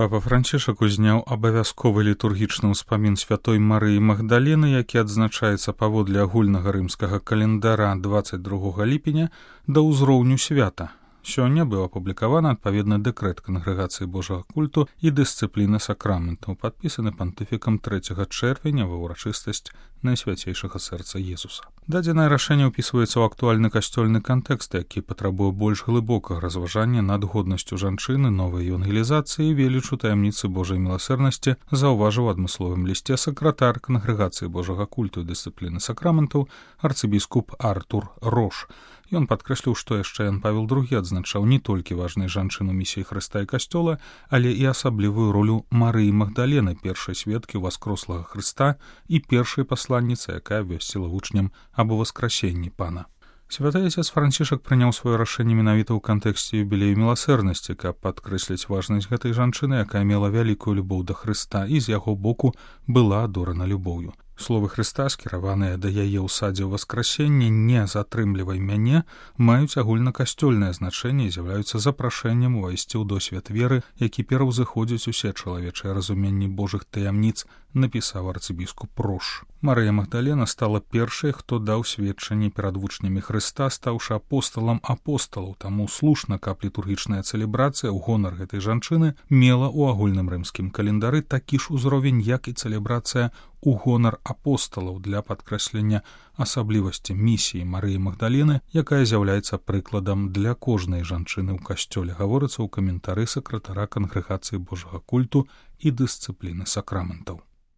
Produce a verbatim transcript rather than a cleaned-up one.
Папа Францішак узняў абавязковы літургічны ўспамін святой Марыі Магдалены, які адзначаецца паводле агульнага рымскага календара дваццаць другога ліпеня да ўзроўню свята. Сёння быў апублікаваны адпаведны дэкрэт Кангрэгацыі Божага культу і дысцыпліны сакраментаў, падпісаны пантыфікам трэцяга чэрвеня ва ўрачыстасць Найсвяцейшага сэрца Езуса. Дадзенае рашэнне ўпісваецца ў актуальны касцёльны кантэкст, які патрабуе больш глыбокага разважання над годнасцю жанчыны, новай евангелізацыі і велічу таямніцы Божай міласэрнасці, заўважыў у адмысловым лісце сакратар Кангрэгацыі Божага культу і дысцыпліны сакраментаў арцыбіскуп Артур Рош. Ён падкрэсліў, што яшчэ Ян Павел другі адзначаў не толькі важнай жанчыну місіі Хрыста і Касцёла, але і асаблівую ролю Марыі Магдалены, першай сведкі ўваскрослага Хрыста і першай пасланніцы, якая абвясціла вучням аб уваскрасенні Пана. Святы Отец Францішак прыняў сваё рашэнне менавіта ў кантэксце юбілею міласэрнасці, каб падкрэсліць важнасць гэтай жанчыны, якая мела вялікую любоў да Хрыста і з яго боку была адорана любоўю. Словы Хрыста, скіраваныя да яе ў садзе ўваскрасення «не затрымлівай мяне», маюць агульнакасцёльнае значэнне і з'яўляюцца запрашэннем увайсці ў досвед веры, які пераўзыходзіць усе чалавечыя разуменні Божых таямніц, напісаў арцыбіскуп Рош. Марыя Магдалена стала першай, хто даў сведчанне перад вучнямі Хрыста, стаўшы апосталам апосталаў, таму слушна, каб літургічная цэлебрацыя ў гонар гэтай жанчыны мела ў агульным рымскім календары такі ж узровень, як і цэлебрацыя у гонар апосталаў для падкрэслення асаблівасці місіі Марыі Магдалены, якая з'яўляецца прыкладам для кожнай жанчыны ў касцёле, гаворыцца ў каментары сакратара Кангрэгацыі Божага культу і дысцыпліны сакраментаў.